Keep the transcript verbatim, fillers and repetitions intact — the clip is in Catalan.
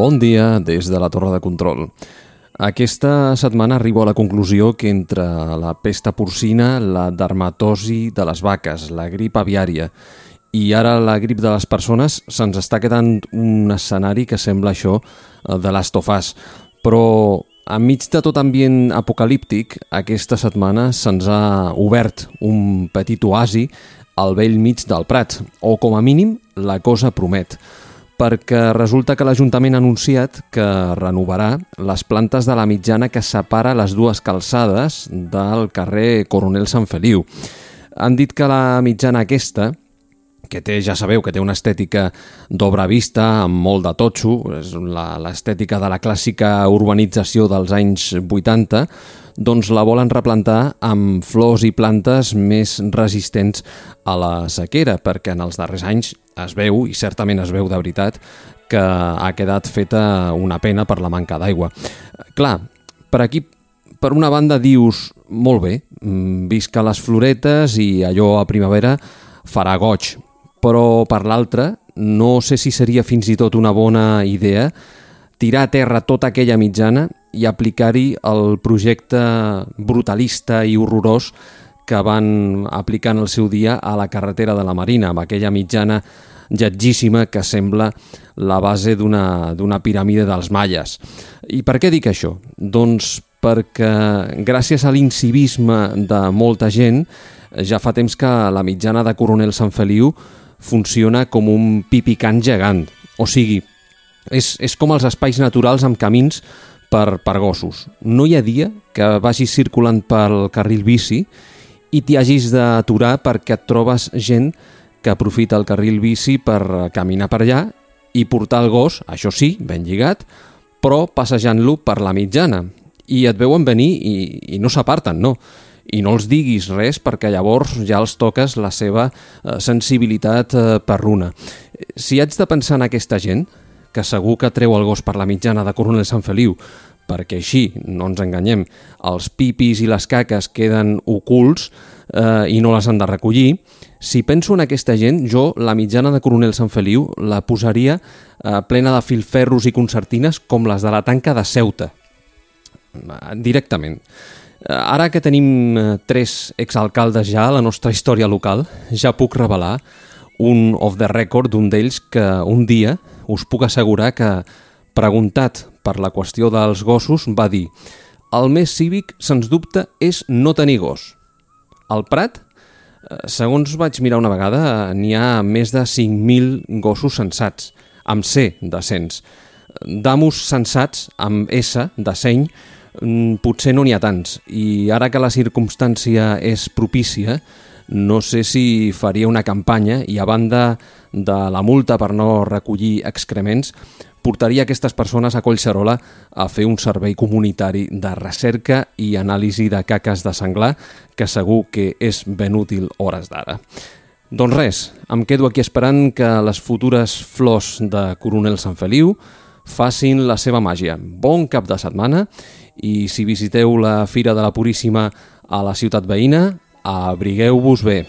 Bon dia des de la torre de control. Aquesta setmana arribo a la conclusió que entre la pesta porcina, la dermatosi de les vaques, la grip aviària i ara la grip de les persones se'ns està quedant un escenari que sembla això de Last of Us. Però enmig de tot ambient apocalíptic, aquesta setmana se'ns ha obert un petit oasi al vell mig del Prat, o com a mínim la cosa promet, perquè resulta que l'Ajuntament ha anunciat que renovarà les plantes de la mitjana que separa les dues calçades del carrer Coronel Sant Feliu. Han dit que la mitjana aquesta, que té, ja sabeu, que té una estètica d'obra vista, amb molt de totxo, és l'estètica de la clàssica urbanització dels anys vuitanta, doncs la volen replantar amb flors i plantes més resistents a la sequera, perquè en els darrers anys es veu, i certament es veu de veritat, que ha quedat feta una pena per la manca d'aigua. Clar, per aquí, per una banda dius, molt bé, visca les floretes i allò a primavera farà goig, però per l'altra no sé si seria fins i tot una bona idea tirar a terra tota aquella mitjana i aplicar-hi el projecte brutalista i horrorós que van aplicar en el seu dia a la carretera de la Marina, amb aquella mitjana lletgíssima que sembla la base d'una d'una piràmide dels maies. I per què dic això? Doncs perquè gràcies a l'incivisme de molta gent ja fa temps que la mitjana de Coronel Sant Feliu funciona com un pipicant gegant. O sigui, és, és com els espais naturals amb camins per, per gossos. No hi ha dia que vagis circulant pel carril bici i t'hi hagis d'aturar perquè et trobes gent que aprofita el carril bici per caminar per allà i portar el gos, això sí, ben lligat, però passejant-lo per la mitjana. I et veuen venir i, i no s'aparten, no. I no els diguis res perquè llavors ja els toques la seva eh, sensibilitat eh, perruna. Si haig de pensar en aquesta gent, que segur que treu el gos per la mitjana de Coronel Sant Feliu, perquè així, no ens enganyem, els pipis i les caques queden ocults eh, i no les han de recollir, si penso en aquesta gent, jo la mitjana de Coronel Sant Feliu la posaria eh, plena de filferros i concertines com les de la tanca de Ceuta. Directament. Ara que tenim tres exalcaldes ja a la nostra història local, ja puc revelar un off the record d'un d'ells que un dia us puc assegurar que, preguntat per la qüestió dels gossos, va dir: el més cívic, sens dubte, és no tenir gos. Al Prat, segons vaig mirar una vegada, n'hi ha més de cinc mil gossos sensats, amb C de cens. D'amos sensats, amb S de seny, potser no n'hi ha tants, i ara que la circumstància és propícia, no sé si faria una campanya i a banda de la multa per no recollir excrements, portaria aquestes persones a Collserola a fer un servei comunitari de recerca i anàlisi de caques de senglar, que segur que és ben útil hores d'ara. Doncs res, em quedo aquí esperant que les futures flors de Coronel Sant Feliu facin la seva màgia. Bon cap de setmana i si visiteu la Fira de la Puríssima a la ciutat veïna, abrigueu-vos bé.